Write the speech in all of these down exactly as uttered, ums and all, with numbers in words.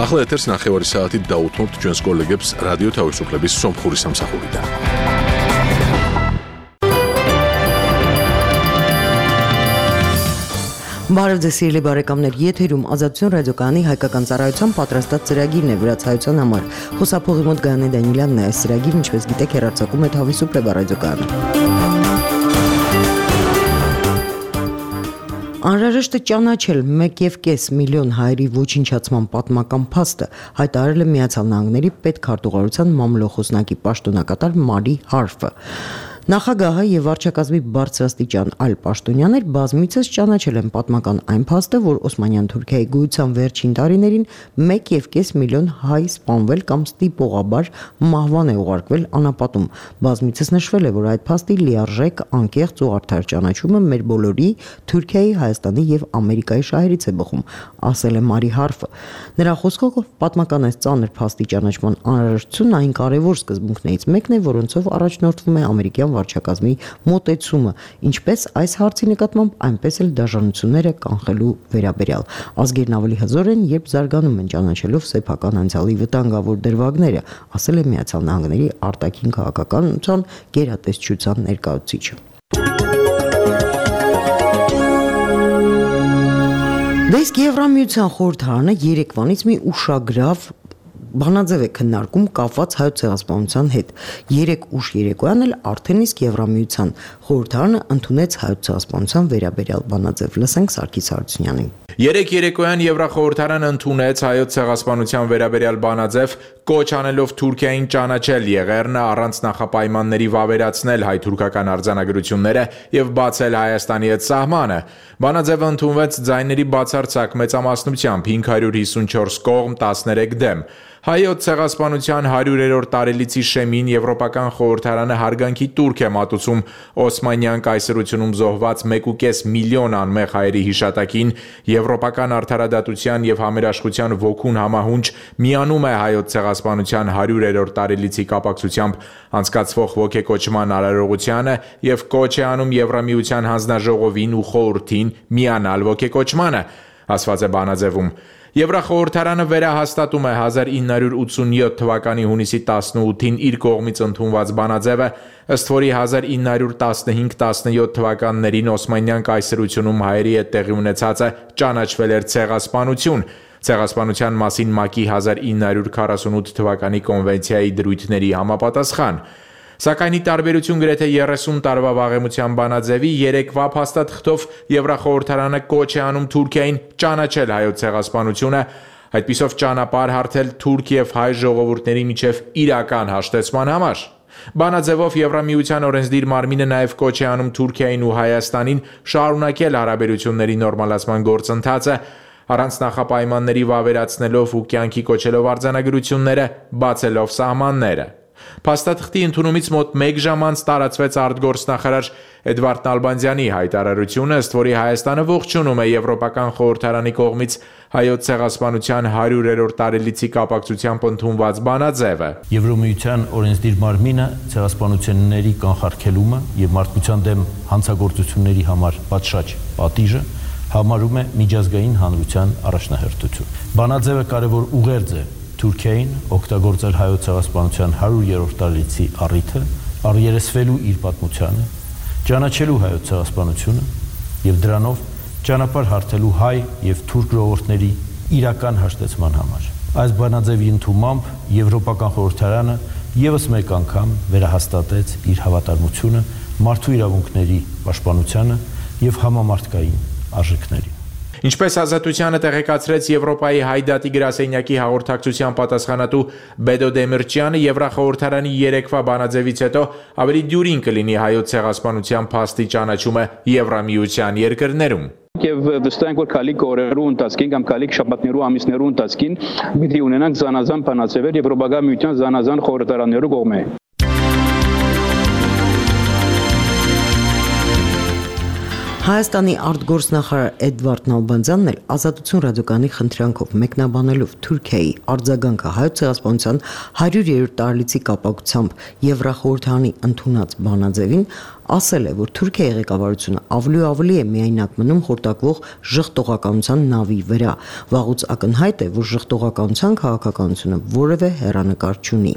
ახლა ეთერს ნახევარი საათით დაუთმობთ ჩვენს კოლეგებს რადიო თავისუფლების სომხური სამსახურიდან. Բարև ձեզ սիրելի բարեկամներ, եթերում Ազատություն ռադիոկայանի հայկական ծառայության պատրաստած ծրագիրն է վրացայության համար։ Խոսափողի մոտ Գայանե Դանիելյանն է այս ծրագիրը, ինչպես գիտեք, հեռարձակում է Თავისუფლება ռադիոկայանը։ Անհրաժեշտ է ճանաչել մեկ և կես միլիոն հայերի ոչնչացման պատմական փաստը, հայտարարել է Միացյալ Նահանգների պետքարտուղարության մամլոխոսնակի պաշտոնակատար Մարի Հարֆը։ Նախագահը եւ վարչակազմի բարձրաստիճան այլ պաշտոնյաներ բազմիցս ճանաչել են պատմական այն փաստը, որ Օսմանյան Թուրքիայի գոյության վերջին տարիներին մեկ և կես միլիոն հայ սպանվել կամ ստիպողաբար մահվան է ուղարկվել անապատում։ Բազմիցս նշվել է, որ այդ փաստի լիարժեք, անկեղծ ու արդար ճանաչումը մեր բոլորի Թուրքիայի, Հայաստանի եւ Ամերիկայի շահերից է բխում, ասել է Մարի Հարֆը։ Նրա խոսքով պատմական այս ծանր փաստի ճանաչման անհրաժեշտությունն այն կարևոր սկզբունքներից մեկն է, որոնցով առաջնորդվում է ամերիկյան վարչակազմի մոտեցումը, ինչպես այս հարցի նկատմամբ, այնպես էլ դաժանությունները կանխելու վերաբերյալ։ Ազգերն ավելի հզոր են, երբ զարգանում են ճանաչելով սեփական անցյալի վտանգավոր դրվագները, ասել է Միացյալ Նահանգների արտաքին քաղաքականության գերատեսչության ներկայացուցիչը։ Դեսկ Եվրամիության խորհրդարանը երեկվանից մի ուշագրավ բանաձև է քննարկում կապված հայոց ցեղասպանության հետ։ Երեք ուշ երեկոյան էլ արդեն իսկ Եվրամիության խորհրդարանը ընդունեց հայոց ցեղասպանության վերաբերյալ բանաձև։ Լսենք Սարգիս Հարությունյանին։ Երեք երեկոյան Եվրախորհրդարանը ընդունեց հայոց ցեղասպանության վերաբերյալ բանաձև, կոչ անելով Թուրքիային ճանաչել եղերնը, առանց նախապայմանների վավերացնել հայ-թուրքական արձանագրությունները եւ բացել Հայաստանի հետ սահմանը։ Բանաձևը ընդունվեց ձայների բացարձակ մեծամասնությամբ հինգ հարյուր հիսունչորս կողմ, տասներեք դեմ։ Հայոց ցեղասպանության հարյուրերորդ տարելիցի շեմին Եվրոպական խորհրդարանը հարգանքի տուրք է մատուցում Օսմանյան կայսրությունում զոհված մեկ և կես միլիոն անմեղ հայերի հիշատակին, Եվրոպական արդարադատության եւ համերաշխության ոգուն համահունչ միանում է հայոց ցեղասպանության հարյուրերորդ տարելիցի կապակցությամբ անցկացվող ոգեկոչման արարողությանը եւ կոչ է անում Եվրամիության հանձնաժողովին ու խորհրդին միանալ ոգեկոչմանը, ասված է բանաձևում։ Եվրախորհրդարանը վերահաստատում է հազար ինը հարյուր ութսունյոթ թվականի հունիսի տասնութին իր կողմից ընդունված բանաձևը, ըստ որի հազար ինը հարյուր տասնհինգ տասնյոթ թվականներին Օսմանյան կայսրությունում հայերի հետ տեղի ունեցածը ճանաչվել էր ցեղասպանություն։ Ցեղասպանության մասին ՄԱԿ-ի հազար ինը հարյուր քառասունութ թվականի կոնվենցիայի դրույթների համապատասխան։ Սակայն ի տարբերություն գրեթե երեսուն տարվա վաղեմության բանաձևի, երեկվա փաստաթղթով Եվրախորհրդարանը կոչ է անում Թուրքիային ճանաչել հայոց ցեղասպանությունը, այդպիսով ճանապարհ հարթել թուրք եւ հայ ժողովուրդների միջև իրական հաշտեցման համար։ Բանաձևով Եվրամիության օրենսդիր մարմինը նաև կոչ է անում Թուրքիային ու Հայաստանին շարունակել հարաբերությունների նորմալացման գործընթացը, առանց նախապայմանների վավերացնելով ու կյանքի կոչելով արձանագրությունները, բացելով սահմանները։ Փաստաթղթի ընդունումից մոտ մեկ ժամ անց տարածվեց արտգործնախարար Էդվարդ Նալբանդյանի հայտարարությունը, ըստ որի Հայաստանը ողջունում է Եվրոպական խորհրդարանի կողմից հայոց ցեղասպանության հարյուրերորդ տարելիցի կապակցությամբ ընդունված բանաձևը։ Եվրոմիության օրենսդիր մարմինը ցեղասպանությունների կանխարգելումը եւ մարդկության դեմ հանցագործությունների համար պատշաճ պատիժը համարում է միջազգային հանրության առաջնահերթություն։ Բանաձևը կարևոր ուղերձ է Թուրքիային օգտագործել հայոց ցեղասպանության հարյուրերորդ տարելիցի առիթը, առերեսվելու իր պատմությանը, ճանաչելու հայոց ցեղասպանությունը եւ դրանով ճանապարհ հարթելու հայ եւ թուրք ժողովուրդների իրական հաշտեցման համար։ Այս բանաձևի ընդունմամբ Եվրոպական խորհրդարանը եւս մեկ անգամ վերահաստատեց իր հավատարմությունը մարդու իրավունքների պաշտպանությանը եւ համամարտկային արժեքներին։ Ինչպես Ազատությանը տեղեկացրեց Եվրոպայի Հայդատի գրասենյակի հաղորդակցության պատասխանատու Բեդո Դեմիրճյանը, Եվրախորհրդարանի երեկվա բանաձևից հետո ավելի դյուրին կլինի հայոց ցեղասպանության փաստի ճանաչումը Եվրամիության երկրներում։ Եվ վստահ ենք, որ քալիք օրերու ընթացքին կամ քալիք շաբաթներու ամիսներու ընթացքին պիտի ունենանք զանազան բանաձևեր Եվրոպական միության զանազան խորհրդարաններու կողմէ։ Հայաստանի արտգործնախարար Էդվարդ Նալբանդյանն էլ Ազատություն ռադիոկայանի խնդրանքով մեկնաբանելով Թուրքիայի արձագանքը հայոց ցեղասպանության հարյուրերորդ տարելիցի կապակցությամբ Եվրախորհրդարանի ընդունած բանաձևին ասել է, որ Թուրքիայի ղեկավարությունը ավելի ու ավելի է միայնակ մնում խորտակվող ժխտողականության նավի վրա։ Վաղուց ակնհայտ է, որ ժխտողականության քաղաքականությունը որևէ հեռանկար չունի։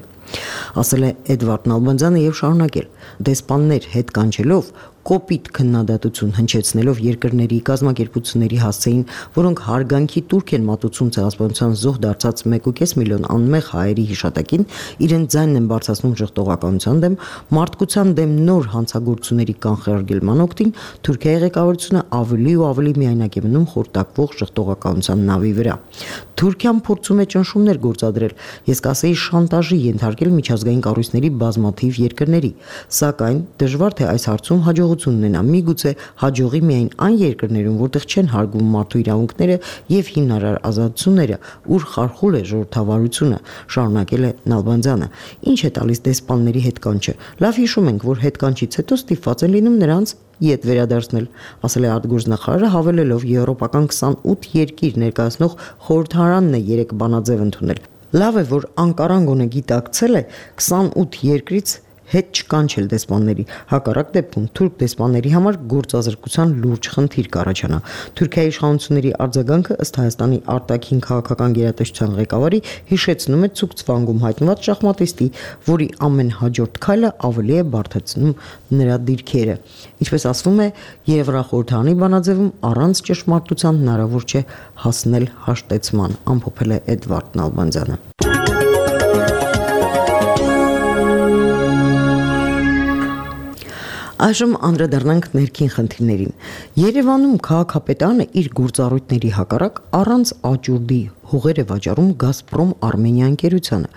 Ասել է Էդվարդ Նալբանդյանը եւ շարունակել. դեսպաններ հետ կանչելով կոպիտ քննադատություն հնչեցնելով երկրների կազմակերպությունների հասցեին, որոնք հարգանքի տուրք են մատուցում ցեղասպանության զոհ դարձած մեկ ու կես միլիոն անմեղ հայերի հիշատակին, իրենց ձայնն են բարձրացնում ժխտողականության դեմ, մարդկության դեմ նոր հանցագործությունների կանխարգելման օգտին, Թուրքիայի ղեկավարությունը ավելի ու ավելի միայնակ է մնում խորտակվող ժխտողականության նավի վրա։ Թուրքիան փորձում է ճնշումներ գործադրել, ես կասեի շանտաժի ենթարկել միջազգային կառույցների բազմաթիվ երկրների, սակայն դժվար թե այս հարցում հաջողություն ունենա, միգուցե հաջողի միայն այն երկրներում, որտեղ չեն հարգում մարդու իրավունքները եւ հիմնարար ազատությունները, ուր խարխուլ է ժողովրդավարությունը, շարունակել է Նալբանդյանը։ Ինչ է տալիս դեսպանների հետ կանչը։ Լավ հիշում ենք, որ հետ կանչից հետո ստիպված են լինում նրանց ետ վերադարձնել, ասել է արտգործնախարարը, հավելելով եվրոպական քսանութ երկիր ներկայացնող խորհրդարանն է երեք բանաձև ընդունել։ Լավ է, որ Անկարան գոնե գիտակցել է քսանութ երկրից հետ չկանչել դեսպանների, հակառակ դեպքում թուրք դեսպանների համար գործազրկության լուրջ խնդիր կառաջանա։ Թուրքիայի իշխանությունների արձագանքը ըստ Հայաստանի արտաքին քաղաքական գերատեսչության ղեկավարի հիշեցնում է Ցուկցվանգում հայտնված շախմատիստի, որի ամեն հաջորդ քայլը ավելի է բարդացնում նրա դիրքերը։ Ինչպես ասվում է, Եվրախորհրդարանի բանաձևում առանց ճշմարտության հնարավոր չէ հասնել հաշտեցման, ամփոփել է Էդվարդ Նալբանդյանը։ Այժմ անդրադառնանք ներքին խնդիրներին։ Երևանում քաղաքապետարանը իր գործառույթների հակառակ առանց աճուրդի հողեր է վաճառում Գազպրոմ Արմենիա ընկերությանը,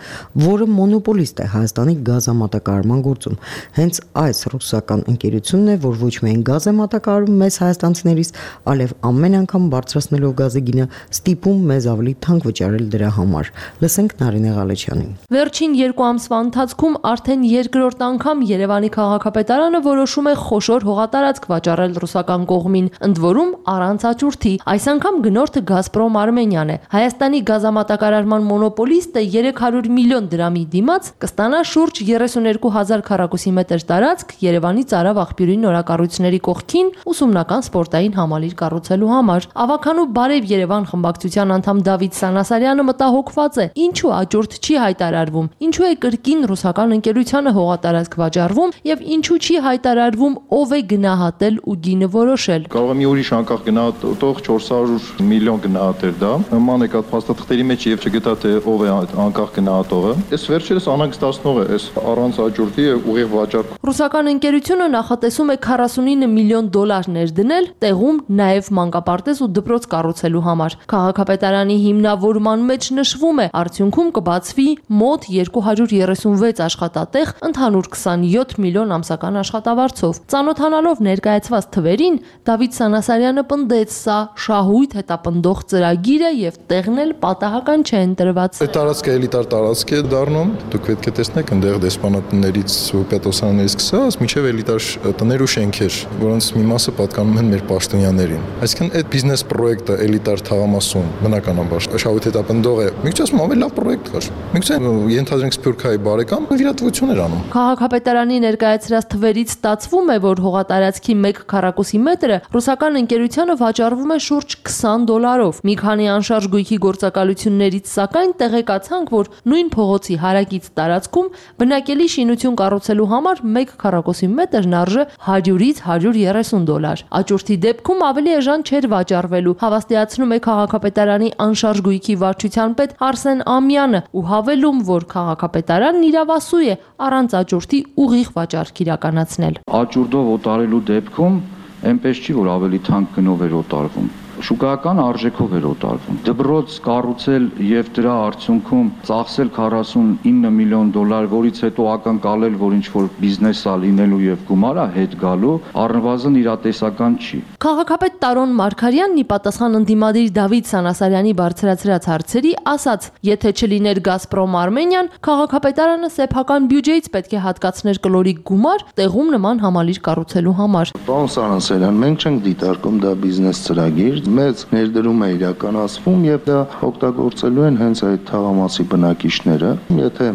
որը մոնոպոլիստ է Հայաստանի գազամատակարարման գործում։ Հենց այս ռուսական ընկերությունն է, որ ոչ միայն գազ է մատակարարում մեզ հայաստանցիներից, այլև ամեն անգամ բարձրացնելով գազի գինը ստիպում մեզ ավելի թանկ վճարել դրա համար։ Լսենք Նարինե Ղալեչյանին։ Վերջին երկու ամսվա ընթացքում արդեն երկրորդ անգամ Երևանի քաղաքապետարանը որոշում է խոշոր հողատարածք վաճառել ռուսական կողմին, ընդ որում առանց աճուրդի։ Այս անգամ գնորդը Գազպրոմ Արմենիան է։ Հայաստանի գազամատակարարման մոնոպոլիստը երեք հարյուր միլիոն դրամի դիմաց կստանա շուրջ երեսունյոթ հազար քառակուսի մետր տարածք Երևանի Ծարավ աղբյուրի նորակառույցների կողքին ուսումնական սպորտային համալիր կառուցելու համար։ Ավականու Բարև Երևան խմբակցության անդամ Դավիթ Սանասարյանը մտահոգված է, ինչու աճուրդ չի հայտարարվում, ինչու է կրկին ռուսական ընկերությանը հողատարածք վաճառվում եւ ինչու չի հայտարարվում ով է գնահատել ու գինը որոշել։ Կարող է մի ուրիշ անկախ գնահատող չորս հարյուր միլիոն գնահատել դա։ Նման եկած փաստաթղթերի մեջ եւ չգտա թե ով է անկախ գնահատողը։ Այս վերջերս անհանգստացնող է, այս առանց աճուրդի ուղիղ վաճառք։ Ռուսական ընկերությունը նախատեսում է քառասունինը միլիոն դոլար ներդնել տեղում նաեւ մանկապարտեզ ու դպրոց կառուցելու համար։ Քաղաքապետարանի հիմնավորման մեջ նշվում է, արդյունքում կբացվի մոտ երկու հարյուր երեսունվեց աշխատատեղ ընդհանուր քսանյոթ միլիոն ամսական աշխատավարձով։ Ծանոթանալով ներկայացված թվերին, Դավիթ Սանասարյանը պնդեց, սա շահույթ հետապնդող ծրագիր է եւ տեղն էլ պատահական չէ ընտրված։ Այդ տարածքը էլիտար տարածք է դառնում, դուք պետք է տեսնեք այնտեղ դեսպանատներից ու պետոսաններից սկսած մինչև էլիտար տներ ու շենքեր, որոնց մի մասը պատկանում են մեր պաշտոնյաներին։ Այսինքն այդ բիզնես պրոյեկտը էլիտար թաղամասում բնականաբար շահույթ հետապնդող է։ Միգուցե ասում ավելի լավ պրոյեկտ կար։ Միգուցե ենթադրենք Սփյուռքայի բարեկամ վիրատվություն էր անում։ Քաղաքապետարանի ներկայացրած թվերից ստացվում է, որ հողատարածքի մեկ քառակուսի մետրը ռուսական ընկերությանը վաճառվում է շուրջ քսան դոլարով։ Մի քանի անշարժ գույքի գործակալություններից սակայն տեղեկացանք, որ նույն փողոցի հարակից տարածքում բնակելի շինություն կառուցելու համար մեկ քառակուսի մետրն արժե հարյուրից հարյուր երեսուն դոլար։ Աճուրդի դեպքում ավելի էժան չէր վաճառվելու, հավաստիացնում է քաղաքապետարանի անշարժ գույքի վարչության պետ Արսեն Ամյանը ու հավելում, որ քաղաքապետարանն իրավասու է առանց աճուրդի ուղիղ վաճառք իրականացնել։ Աճուրդով օտարելու դեպքում այնպես չի, որ ավելի թանկ գնով էր օտարվում։ Շուկայական արժեքով էր օտարվում։ Դպրոց կառուցել եւ դրա արդյունքում ծախսել քառասունինը միլիոն դոլար, որից հետո ակնկալել, որ ինչ որ բիզնես է լինելու եւ գումարը հետ գալու, առնվազն իրատեսական չի։ Քաղաքապետ Տարոն Մարգարյանն ի պատասխան ընդդիմադիր Դավիթ Սանասարյանի բարձրացրած հարցերի ասաց. եթե չլիներ Գազպրոմ Արմենիան, քաղաքապետարանը սեփական բյուջեից պետք է հատկացներ կլորիկ գումար տեղում նման համալիր կառուցելու համար։ Պարոն Սանասարյան, մենք չենք դիտարկում դա բիզնես ծրագիր, մեծ ներդրում է իրականացվում եւ դա օգտագործելու են հենց այդ թաղամասի բնակիչները։ Եթե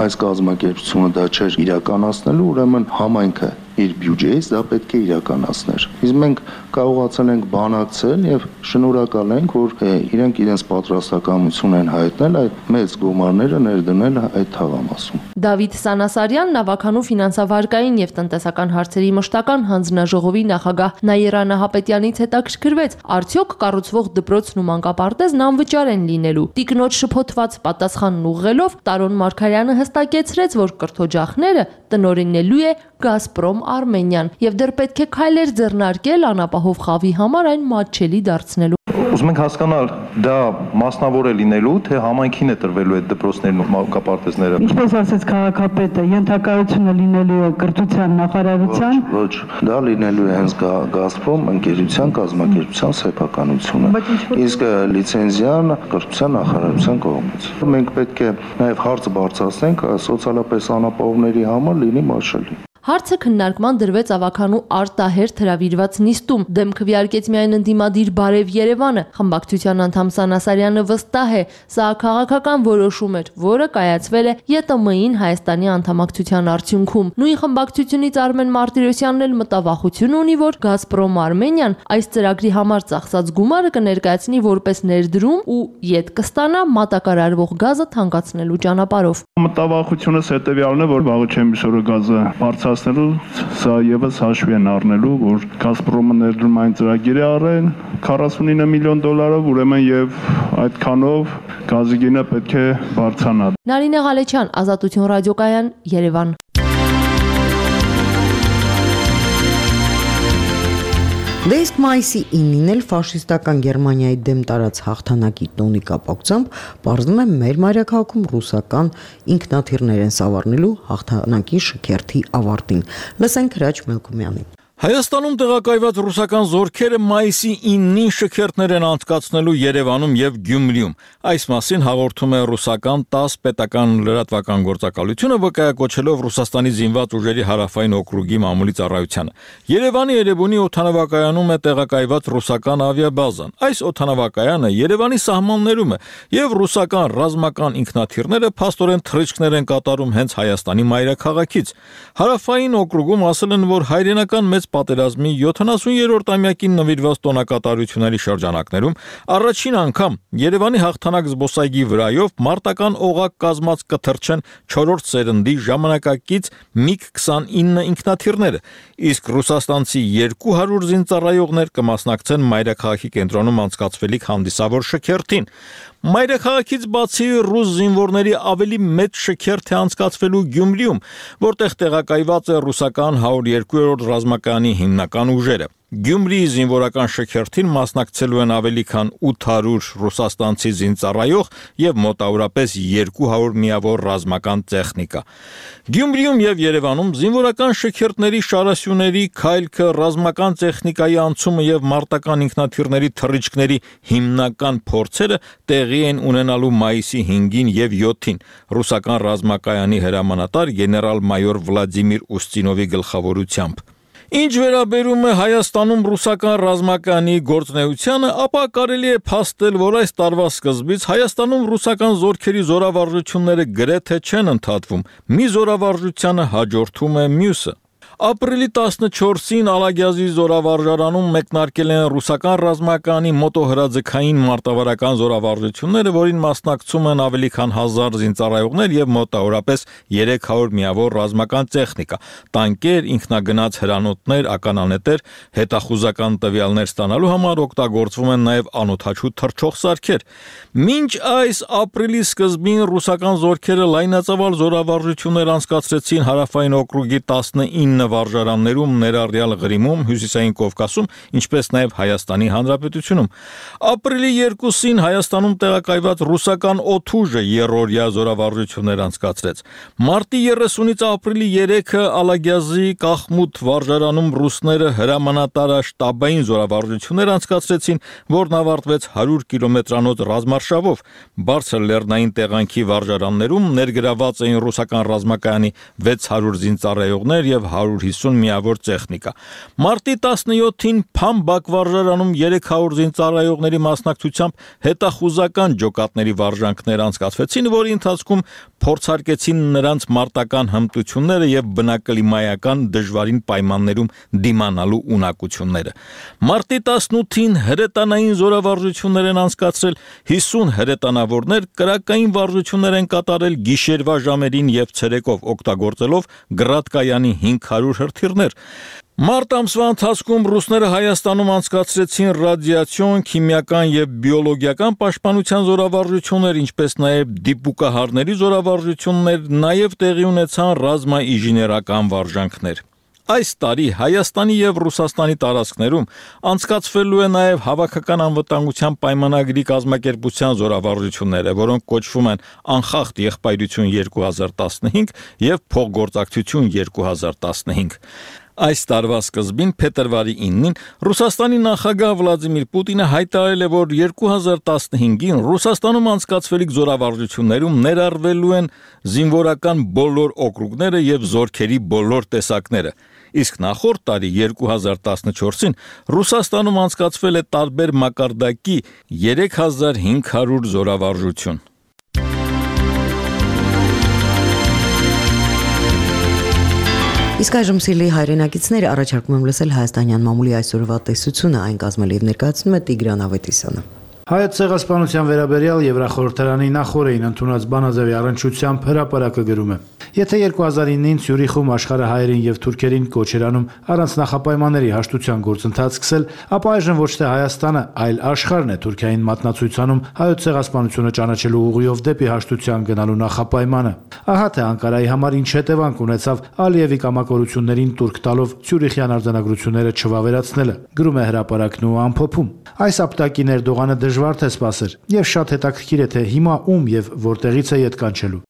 այս կազմակերպությունը դա չէր իրականացնելու, ուրեմն համայնքը իր բյուջեից դա պետք է իրականացներ։ Իսկ մենք կարողացել ենք բանակցել եւ շնորհակալ ենք, որ իրենք իրենց պատրաստակամություն են հայտնել այդ մեծ գումարները ներդնել այդ թաղամասում։ Դավիթ Սանասարյան, Նավականու ֆինանսավարկային եւ տնտեսական հարցերի մշտական հանձնաժողովի նախագահ Նաիրա Նահապետյանից հետաքրքրվեց, արդյոք կառուցվող դպրոցն ու մանկապարտեզն անվճար են լինելու։ Տիկնոջ շփոթված պատասխանն ուղղելով Տարոն Մարգարյանը հստակեցրեց, որ կրթօջախները տնօրինելու է Գազպրոմ Արմենիան եւ դեռ պետք է քայլեր ձեռնարկել անապահով խավի համար այն մատչելի դարձնելու։ Ուզում ենք հասկանալ, դա մասնավոր է լինելու, թե համայնքին է տրվելու այդ դպրոցներն ու մանկապարտեզները։ Ինչպես ասաց քաղաքապետը, ենթակայությունը լինելու է կրթության նախարարության։ Ոչ, դա լինելու է հենց Գազպրոմ ընկերության կազմակերպության սեփականությունը։ Իսկ լիցենզիան կրթության նախարարության կողմից։ Մենք պետք է նաև հարցը բարձրացնենք սոցիալապես անապահովների համար լինի մաշելի։ Հարցը քննարկման դրվեց ավականու արտահերթ հրավիրված նիստում։ Դեմ քվեարկեց միայն ընդդիմադիր Բարև Երևանը։ Խմբակցության անդամ Սանասարյանը վստահ է, սա քաղաքական որոշում էր, որը կայացվել է ԵՏՄ-ին Հայաստանի անդամակցության արդյունքում։ Նույն խմբակցությունից Արմեն Մարտիրոսյանն էլ մտավախություն ունի, որ Գազպրոմ Արմենիան այս ծրագրի համար ծախսած գումարը կներկայացնի որպես ներդրում ու յետ կստանա մատակարարվող գազը թանկացնելու ճանապարհով։ Մտավախությունս հետևյալն է, որ վաղը չեմ իսօրը գազը բարձրացնելու, սա եւս հաշվի են առնելու, որ Գազպրոմը ներդրումային ծրագիր է առել քառասունինը միլիոն դոլարով, ուրեմն եւ այդքանով գազի գինը պետք է բարձրանա։ Նարինե Ղալեչյան, Ազատություն ռադիոկայան, Երևան։ Դե իսկ մայիսի ինին էլ ֆաշիստական Գերմանիայի դեմ տարած հաղթանակի տոնի կապակցությամբ պարզվում է մեր մայրաքաղաքում ռուսական ինքնաթիռներ են սավառնելու հաղթանակի շքերթի ավարտին։ Լսենք Հրաչ Մելքումյանին։ Հայաստանում տեղակայված ռուսական զորքերը մայիսի ինին շքերթներ են անցկացնելու Երևանում եւ Գյումրիում։ Այս մասին հաղորդում է ռուսական տաս պետական լրատվական գործակալությունը, վկայակոչելով Ռուսաստանի զինված ուժերի հարավային օկրուգի մամուլի ծառայությանը։ Երևանի Էրեբունի օդանավակայանում է տեղակայված ռուսական ավիաբազան։ Այս օդանավակայանը Երևանի սահմաններում է եւ ռուսական ռազմական ինքնաթիռները փաստորեն թռիչքներ են կատարում հենց Հայաստանի մայրաքաղաքից։ Հարավային օկրուգում ասել են, որ հայրենական մեծ պատերազմի յոթանասուներորդ ամյակին նվիրված տոնակատարությունների շրջանակներում առաջին անգամ Երևանի հաղթանակ զբոսայգի վրայով մարտական օղակ կազմած կթռչեն չորրորդ սերնդի ժամանակակից միգ քսանինը ինքնաթիռները, իսկ ռուսաստանցի երկու հարյուր զինծառայողներ կմասնակցեն մայրաքաղաքի կենտրոնում անցկացվելիք հանդիսավոր շքերթին։ Մայրաքաղաքից բացի ռուս զինվորների ավելի մեծ շքերթ է անցկացվելու Գյումրիում, որտեղ տեղակայված է ռուսական հարյուր երկրորդ ռազմակայանի հիմնական ուժերը։ Գյումրիի զինվորական շքերթին մասնակցելու են ավելի քան ութ հարյուր ռուսաստանցի զինծառայող եւ մոտավորապես երկու հարյուր միավոր ռազմական տեխնիկա։ Գյումրիում եւ Երևանում զինվորական շքերթների շարասյուների քայլքը, ռազմական տեխնիկայի անցումը եւ մարտական ինքնաթիռների թռիչքների հիմնական փորձերը տեղի են ունենալու մայիսի հինգին եւ յոթին ռուսական ռազմակայանի հրամանատար գեներալ-մայոր Վլադիմիր Ուստինովի գլխավորությամբ։ Ինչ վերաբերում է Հայաստանում ռուսական ռազմակայանի գործունեությանը, ապա կարելի է փաստել, որ այս տարվա սկզբից Հայաստանում ռուսական զորքերի զորավարժությունները գրեթե չեն ընդհատվում։ Մի զորավարժությանը հաջորդում է մյուսը։ Ապրիլի տասնչորսին Ալագյազի զորավարժարանում մեկնարկել են ռուսական ռազմակայանի մոտոհրաձգային մարտավարական զորավարժությունները, որին մասնակցում են ավելի քան հազար զինծառայողներ եւ մոտավորապես երեք հարյուր միավոր ռազմական տեխնիկա, տանկեր, ինքնագնաց հրանոթներ, ականանետեր, հետախուզական տվյալներ ստանալու համար օգտագործվում են նաեւ անօդաչու թռչող սարքեր։ Մինչ այս ապրիլի սկզբին ռուսական զորքերը լայնածավալ զորավարժություններ անցկացրեցին հարավային օկրուգի տասնինը վարժարաններում, ներառյալ Ղրիմում, Հյուսիսային Կովկասում, ինչպես նաև Հայաստանի Հանրապետությունում։ Ապրիլի երկուսին Հայաստանում տեղակայված ռուսական օդուժը երրորդյա զորավարժություններ անցկացրեց։ Մարտի երեսունից ապրիլի երեքը Ալագյազի Կախմուտ վարժարանում ռուսները հրամանատարաշտաբային զորավարժություններ անցկացրեցին, որն ավարտվեց հարյուր կիլոմետրանոց ռազմարշավով։ Բարձր լեռնային տեղանքի վարժարաններում ներգրաված էին ռուսական ռազմակայանի վեց հարյուր զինծառայողներ եւ հարյուր հարյուր հիսուն միավոր տեխնիկա։ Մարտի տասնյոթին Փամ բակվարժարանում երեք հարյուր զինծառայողների մասնակցությամբ հետախուզական ջոկատների վարժանքներ անցկացվեցին, որի ընթացքում փորձարկեցին նրանց մարտական հմտությունները եւ բնակլիմայական դժվարին պայմաններում դիմանալու ունակությունները։ Մարտի տասնութին հրետանային զորավարժություններ են անցկացրել, հիսուն հրետանավորներ կրակային վարժություններ են կատարել գիշերվա ժամերին եւ ցերեկով օգտագործելով գրադկայանի հինգ հարյուր հրթիռներ։ Մարտ ամսվա ընթացքում ռուսները Հայաստանում անցկացրեցին ռադիացիոն, քիմիական եւ բիոլոգիական պաշտպանության զորավարժություններ, ինչպես նաեւ դիպուկահարների զորավարժություններ, նաեւ տեղի ունեցան ռազմաինժեներական վարժանքներ։ Այս տարի Հայաստանի եւ Ռուսաստանի տարածքներում անցկացվելու է նաեւ հավաքական անվտանգության պայմանագրի կազմակերպության զորավարժությունները, որոնք կոչվում են Անխախտ եղբայրություն երկու հազար տասնհինգ եւ Փոխգործակցություն երկու հազար տասնհինգ։ Այս տարվա սկզբին փետրվարի իննին Ռուսաստանի նախագահ Վլադիմիր Պուտինը հայտարարել է, որ երկու հազար տասնհինգին Ռուսաստանում անցկացվելիք զորավարժություններում ներառվելու են զինվորական բոլոր օկրուգները եւ զորքերի բոլոր տեսակները։ Իսկ նախորդ տարի երկու հազար տասնչորսին Ռուսաստանում անցկացվել է տարբեր մակարդակի երեք հազար հինգ հարյուր զորավարժություն։ Իսկ այժմ սիրելի հայրենակիցներ, առաջարկում եմ լսել հայաստանյան մամուլի այսօրվա տեսությունը, այն կազմել եւ ներկայացնում է Տիգրան Ավետիսյանը։ Հայոց ցեղասպանության վերաբերյալ Եվրախորհրդարանի նախորդին ընդունած բանաձևի առնչությամբ հրապարակը գրում է. Եթե երկու հազար ինին Ցյուրիխում աշխարհը հայերին եւ թուրքերին կոչ էր անում առանց նախապայմանների հաշտության գործընթաց սկսել, ապա այժմ ոչ թե Հայաստանը, այլ աշխարհն է Թուրքիային մատնացույցանում հայոց ցեղասպանությունը ճանաչելու ուղիով դեպի հաշտության գնալու նախապայմանը։ Ահա թե Անկարայի համար ինչ հետևանք ունեցավ Ալիևի կամակորություններին տուրք տալով Ցյուրիխյան արձանագրությունները չվավերացնելը, գրում է հրապարակն ու ամփոփում։ Այս ապտակի ներդողանը դժվար թե սпасեր, եւ շատ հետաքրքիր է թե հիմա ում եւ որտեղից է ետ կանչելու։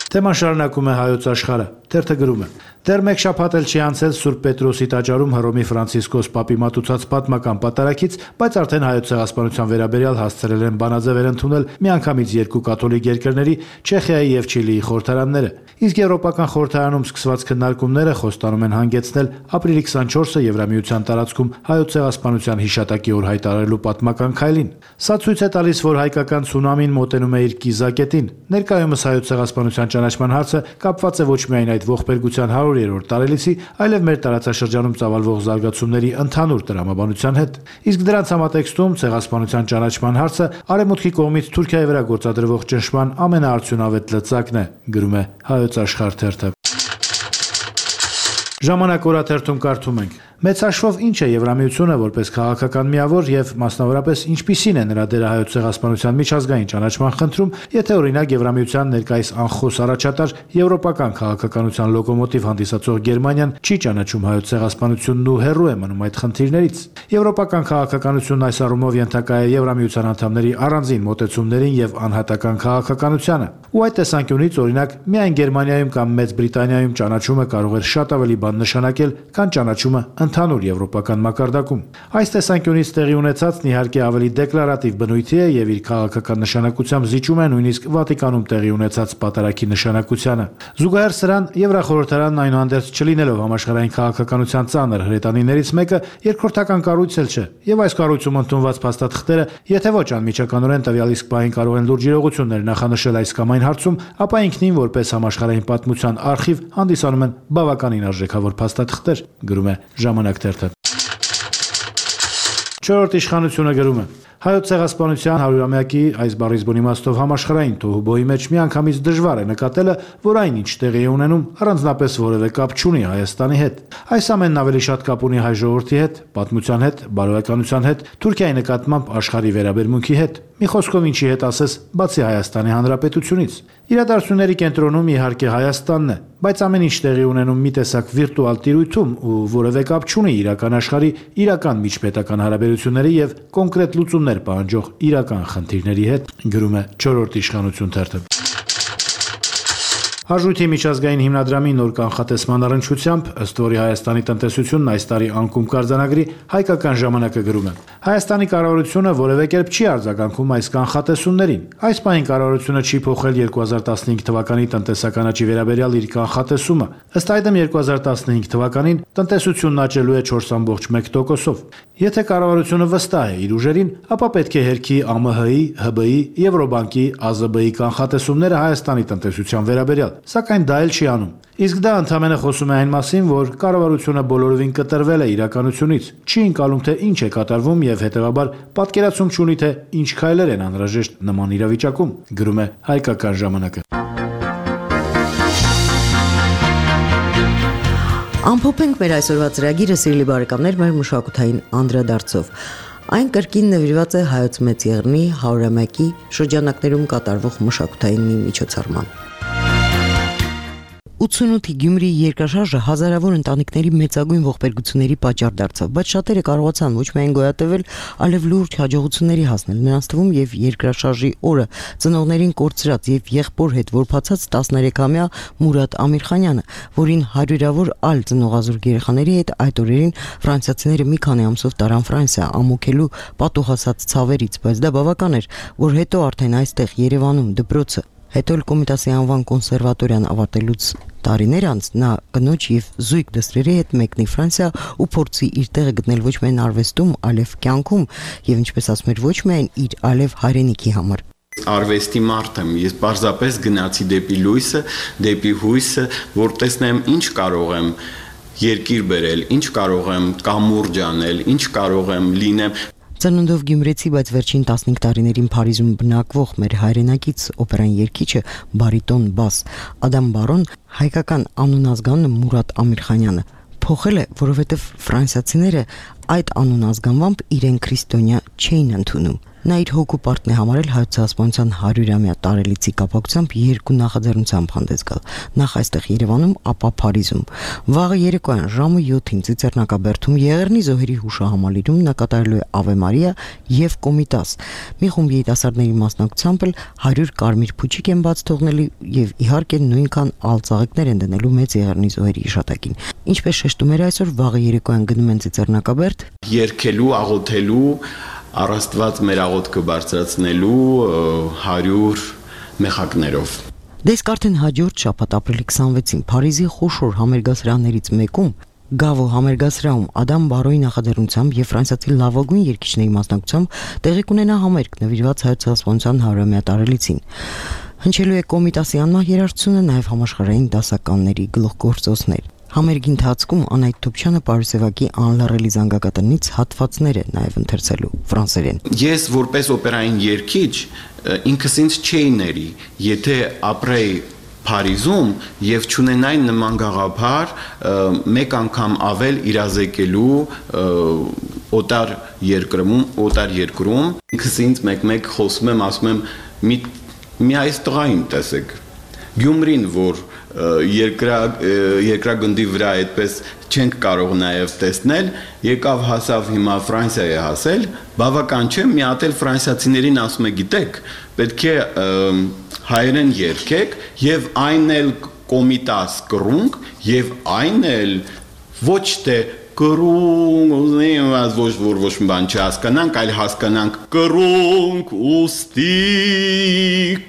Թեման շարունակում է Հայոց աշխարհը։ Թերթը գրում է. Դեռ մեկ շաբաթ էլ չի անցել Սուրբ Պետրոսի տաճարում Հռոմի Ֆրանցիսկոս Պապի մատուցած պատմական պատարագից, բայց արդեն հայոց ցեղասպանության վերաբերյալ հասցրել են բանաձևեր ընդունել միանգամից երկու կաթոլիկ երկրների՝ Չեխիայի եւ Չիլիի խորհրդարանները։ Իսկ Եվրոպական խորհրդարանում սկսված քննարկումները խոստանում են հանգեցնել ապրիլի քսանչորսը Եվրամիության տարածքում հայոց ցեղասպանության հիշատակի օր հայտարարելու պատմական քայլին։ Սա ցույց է տալիս, որ հայկական ցունամին մոտենում է իր կիզակետին։ Ներկայումս հայոց ցեղասպանության ճանաչման հարցը կապված է ոչ միայն այդ ողբերգության հարյուրերորդ տարելիցի, այլև մեր տարածաշրջանում ծավալվող զարգացումների ընդհանուր տրամաբանության հետ։ Իսկ դրանց համատեքստում ցեղասպանության ճանաչման հարցը արևմուտքի կողմից Թուրքիայի վրա գործադրվող ճնշման ամենաարդյունավետ լծակն է, գրում է Հայոց աշխարհ թերթը։ Ժամանակ օրաթերթում կարդում ենք. Մեծ հաշվով ինչ է Եվրամիությունը որպես քաղաքական միավոր եւ մասնավորապես ինչպիսին է նրա դերը հայոց ցեղասպանության միջազգային ճանաչման խնդրում, եթե օրինակ Եվրամիության ներկայիս անխոս առաջատար եվրոպական քաղաքականության լոկոմոտիվ հանդիսացող Գերմանիան չի ճանաչում հայոց ցեղասպանությունն ու հեռու է մնում այդ խնդիրներից։ Եվրոպական քաղաքականությունն այս առումով ենթակա է Եվրամիության անդամների առանձին մոտեցումներին եւ անհատական քաղաքականությանը։ Ու այդ տեսանկյունից օրինակ միայն Գերմանիայում կամ Մեծ Բրիտանիայում ճանաչումը կարող է շատ ավելի բան նշանակել, քան ճանաչումը ընդհանուր եվրոպական մակարդակում։ Այս տեսանկյունից տեղի ունեցածն իհարկե ավելի դեկլարատիվ բնույթի է եւ իր քաղաքական նշանակությամբ զիջում է նույնիսկ Վատիկանում տեղի ունեցած պատարագի նշանակությանը։ Զուգահեռ սրան Եվրախորհրդարանն այնուհանդերձ չլինելով համաշխարհային քաղաքականության ծանր հրետանիներից մեկը, երկրորդական կառույց էլ չէ, եւ այս կառույցում ընդունված փաստաթղթերը, եթե ոչ անմիջականորեն տվյալ իսկ պահին կարող են լուրջ իրողություններ նախանշել այս կամ այն հարցում, ապա ինքնին որպես համաշխարհային պատմության արխիվ հանդիսանում են բավականին արժեքավոր փաստաթղթեր, գրում է Ժամանակ թերթը։ Չորրորդ իշխանությունը գրում է. Հայոց ցեղասպանության հարյուրամյակի այս բառիզբուն իմաստով համաշխարհային թոհուբոհի մեջ միանգամից դժվար է նկատելը, որ այն ինչ տեղի է ունենում առանձնապես որևէ կապ չունի Հայաստանի հետ։ Այս ամենն ավելի շատ կապ ունի հայ ժողովրդի հետ, պատմության հետ, բարոյականության հետ, Թուրքիայի նկատմամբ աշխարհի վերաբերմունքի հետ։ Մի խոսքով ինչի հետ ասես, բացի Հայաստանի Հանրապետությունից։ Իրադարձությունների կենտրոնում իհարկե Հայաստանն է, բայց ամեն ինչ տեղի ունենում մի տեսակ վիրտուալ տիրույթում ու որևէ կապ չունի իրական աշխարհի, իրական միջպետական հարաբերությունների եւ կոնկրետ լուծումներ պահանջող իրական խնդիրների հետ, գրում է չորրորդ իշխանություն թերթը։ Արժույթի միջազգային հիմնադրամի նոր կանխատեսման առնչությամբ, ըստ որի Հայաստանի տնտեսությունն այս տարի անկում կարձանագրի, հայկական ժամանակը գրում է. Հայաստանի կառավարությունը որևէ կերպ չի արձագանքում այս կանխատեսումներին։ Այս պահին կառավարությունը չի փոխել երկու հազար տասնհինգ թվականի տնտեսական աճի վերաբերյալ իր կանխատեսումը։ Ըստ այդմ երկու հազար տասնհինգ թվականին տնտեսությունն աճելու է չորս կόμք մեկ տոկոսով։ Եթե կառավարությունը վստահ է իր ուժերին, ապա պետք է հերքի Ա Մ Հ-ի, Հ B I, Եվրոբանկի, Ա Զ B-ի կանխատեսումները Հայաստանի տնտեսության վերաբերյալ, սակայն դա էլ չի անում։ Իսկ դա ընդհանրապես խոսում է այն մասին, որ կառավարությունը բոլորովին կտրվել է իրականությունից, չի ընկալում, թե ինչ է կատարվում եւ հետեւաբար պատկերացում չունի, թե ինչ քայլեր են անհրաժեշտ նման իրավիճակում, գրում է Հայկական ժամանակը։ Ամփոփենք մեր այսօրվա ծրագիրը, սիրելի բարեկամներ, մեր մշակութային անդրադարձով։ Այն կրկին նվիրված է Հայոց Մեծ Եղեռնի հարյուրամյակի շրջանակներում կատարվող մշակութային մի միջոցառման։ ութսունութի Գյումրիի երկրաշարժը հազարավոր ընտանիքների մեծագույն ողբերգությունների պատճառ դարձավ, բայց շատերը կարողացան ոչ միայն գոյատևել, այլև լուրջ հաջողությունների հասնել։ Նրանց թվում եւ երկրաշարժի օրը ծնողներին կորցրած եւ եղբոր հետ որբացած տասներեքամյա Մուրադ Ամիրխանյանը, որին հարյուրավոր այլ ծնողազուրկ երեխաների հետ այդ օրերին ֆրանսիացիները մի քանի ամսով տարան Ֆրանսիա ամոքելու պատուհասած ցավերից, բայց դա բավական էր, որ հետո արդեն այստեղ Երևանում դպրոցը Հետո էլ Կոմիտասի անվան կոնսերվատորիան ավարտելուց տարիներ անց նա կնոջ եւ զույգ դստերի հետ մեկնի Ֆրանսիա ու փորձի իր տեղը գտնել ոչ միայն արվեստում, այլև կյանքում եւ ինչպես ասում էր, ոչ միայն իր, այլև հայրենիքի համար։ Արվեստի մարդ եմ, ես պարզապես գնացի դեպի լույսը, դեպի հույսը, որ տեսնեմ ինչ կարող եմ երկիր բերել, ինչ կարող եմ կամուրջ անել, ինչ կարող եմ լինեմ։ Ծնունդով գյումրեցի, բայց վերջին տասնհինգ տարիներին Փարիզում բնակվող մեր հայրենակից օպերային երգիչը բարիտոն բաս Ադամ Բարոն հայկական անունազգանունը Մուրադ Ամիրխանյանը փոխել է, որովհետև ֆրանսիացիները այդ անունազգանվամբ իրեն քրիստոնյա չէին ընդունում։ Նա իր հոգու պարտն է համարել Հայոց ցեղասպանության հարյուրամյա տարելիցի կապակցությամբ երկու նախաձեռնությամբ հանդես գալ, նախ այստեղ Երևանում, ապա Փարիզում։ Վաղը երեկոյան ժամը յոթին Ծիծեռնակաբերդում Եղեռնի զոհերի հուշահամալիրում նա կատարելու է Ave Maria եւ Կոմիտաս։ Մի խումբ երիտասարդների մասնակցությամբ էլ հարյուր կարմիր փուչիկ են բաց թողնելու եւ իհարկե նույնքան ալծաղիկներ են դնելու Մեծ Եղեռնի զոհերի հիշատակին։ Ինչպես շեշտում էր այսօր, վաղը երեկոյան գնում են Ծիծեռնակաբերդ երկելու, աղոթելու Առաստված մեր աղոթքը բարձրացնելու հարյուր մեխակներով։ Դեսկ արդեն հաջորդ շաբաթ ապրիլի քսանվեցին Փարիզի խոշոր համերգասրաններից մեկում Գավո համերգասրահում Ադամ Բարոյի նախաձեռնությամբ եւ ֆրանսիացի լավագույն երգիչների մասնակցությամբ տեղի կունենա համերգ նվիրված Հայոց ցեղասպանության հարյուրամյա տարելիցին։ Հնչելու է Կոմիտասի անմահ երաժշտությունը, նաեւ համաշխարհային դասականների գլուխգործոցներ։ Համերգի ընթացքում Անահիտ Թոփչյանը Պարուսևակի անլարելի զանգակատնից հատվածներ է նաև ընթերցելու ֆրանսերեն։ Ես որպես օպերային երգիչ ինքս ինձ չէի ների, եթե ապրեի Փարիզում եւ չունենայի նման գաղափար մեկ անգամ ավել իրազեկելու օտար երկրում, օտար երկրում, ինքս ինձ մեկ-մեկ խոսում եմ, ասում եմ մի մի այս տղային տեսեք։ Գյումրին, որ երկրա երկրագնդի վրա այդպես չենք կարող նաև տեսնել, եկավ հասավ հիմա Ֆրանսիա է հասել, բավական չէ, մի հատ էլ ֆրանսիացիներին ասում է, գիտեք, պետք է հայերեն երգեք եւ այն էլ Կոմիտաս կռունկ եւ այն էլ ոչ թե կռունկ, ուզում եմ ոչ որ ոչ մի բան չհասկանանք, այլ հասկանանք կռունկ ուստի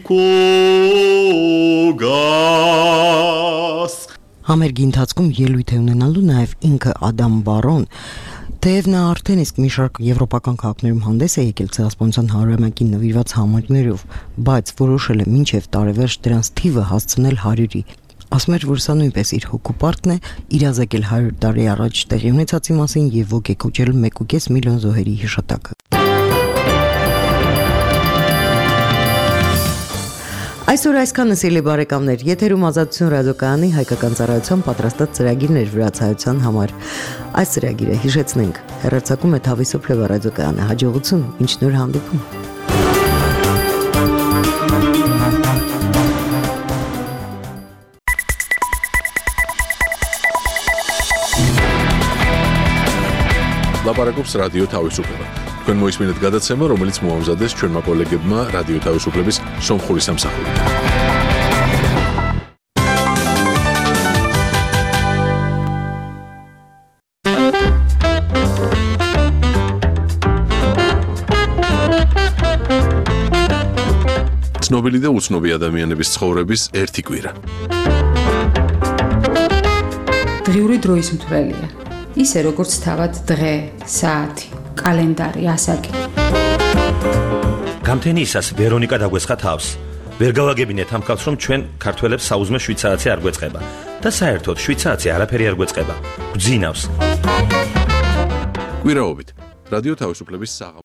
կոգաս։ Համերգի ընթացքում ելույթ է ունենալու նաև ինքը Ադամ Բարոն, թեև նա արդեն իսկ մի շարք եվրոպական քաղաքներում հանդես է եկել ցեղասպանության հարյուրամյակին նվիրված համերգներով, բայց որոշել է մինչև տարեվերջ դրանց թիվը հասցնել հարյուրի։ Ասում էր, որ սա նույնպես իր հոգու պարտն է իրազեկել հարյուր տարի առաջ տեղի ունեցածի մասին եւ ոգեկոչել մեկ ու կես միլիոն զոհերի հիշատակը։ Այսօր այսքանը, սիրելի բարեկամներ, եթերում Ազատություն ռադիոկայանի հայկական ծառայության պատրաստած ծրագիրներ վրացայության համար։ Այս ծրագիրը հիշեցնենք, հեռարձակում է Թավիսոփ Լևա ռադիոկայանը։ Հաջողություն, մինչ նոր հանդիպում։ Լապարակոպս ռադիո Թավիսոփլևա։ Քան մոյս մինետ գադացեմը, რომელიც մոհամզադես չեն մակոլեգեբմա ռադիո Թավիսոփլևիս Սոմխորիս ամսախորի։ ცნობილი და უცნობი ადამიანების ცხოვრების ერთი კვირა. დღიური დროის მთვრელია. ისე როგორც თავად დღე, საათი, კალენდარი, ასაკი. გამთენიისას ვერონიკა დაგვესხა თავს. ვერ გავაგებინეთ ამ კაცს, რომ ჩვენ ქართველებს საუზმე შვიდ საათი არ გვეწყება და საერთოდ შვიდ საათი არაფერი არ გვეწყება. გვძინავს. კვირაობით რადიო თავისუფლების საღამო